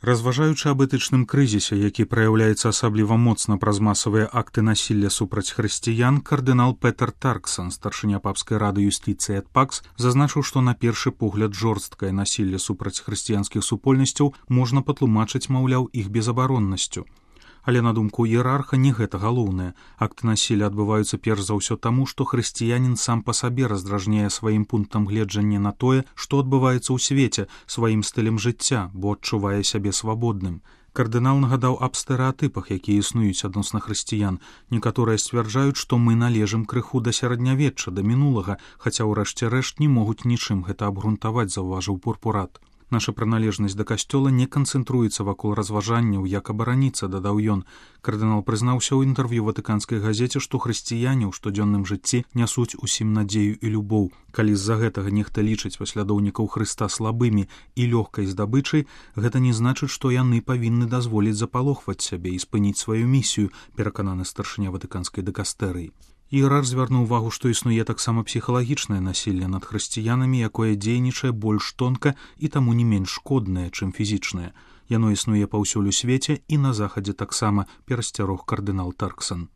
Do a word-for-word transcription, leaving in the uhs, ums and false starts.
Разважаючы аб этычным крызісе, які праяўляецца асабліва моцна праз масавыя акты насілля супраць хрысціян, кардынал Петер Тарксон, старшыня папскай рады юстыцыі ад ПАКС, зазначыў, што на першы погляд жорсткае насілля супраць хрысціянскіх супольнасцяў можна патлумачыць, маўляў, іх безабароннасцю. Але на думку іерарха не гэта галоўнае. Акты насілля адбываюцца перш за ўсё таму, што хрысціянін сам па сабе раздражняе сваім пунктам гледжання на тое, што адбываецца ў свеце, сваім стылем жыцця, бо адчувае сябе свабодным. Кардынал нагадаў аб стэрэатыпах, якія існуюць адносна хрысціян. Некаторыя сцвярджаюць, што мы належым крыху да сярэднявечча, да мінулага, хаця ў рэшце рэшт не могуць нічым гэта абгрунтаваць, заўважыў пурпурат. Наша прыналежнасць да касцёла не канцэнтруецца вакол разважанняў, як абараніцца, дадаў ён. Кардынал прызнаўся ў інтэрв'ю ватыканскай газеце, што хрысціяне ў штодзённым жыцці нясуць усім надзею і любоў. Калі з-за гэтага нехта лічыць паслядоўнікаў Хрыста слабымі і лёгкай здабычай, гэта не значыць, што яны павінны дазволіць запалохваць сябе і спыніць сваю місію, перакананы старшыня ватыканскай дыкастэрыі. Іерарх звярнуў увагу, што існуе таксама псіхалагічнае насілле над хрысціянамі, якое дзейнічае больш тонка і таму не менш шкоднае, чым фізічнае. Яно існуе паўсюль у свеце і на захадзе таксама, перасцярог кардынал Тарксон.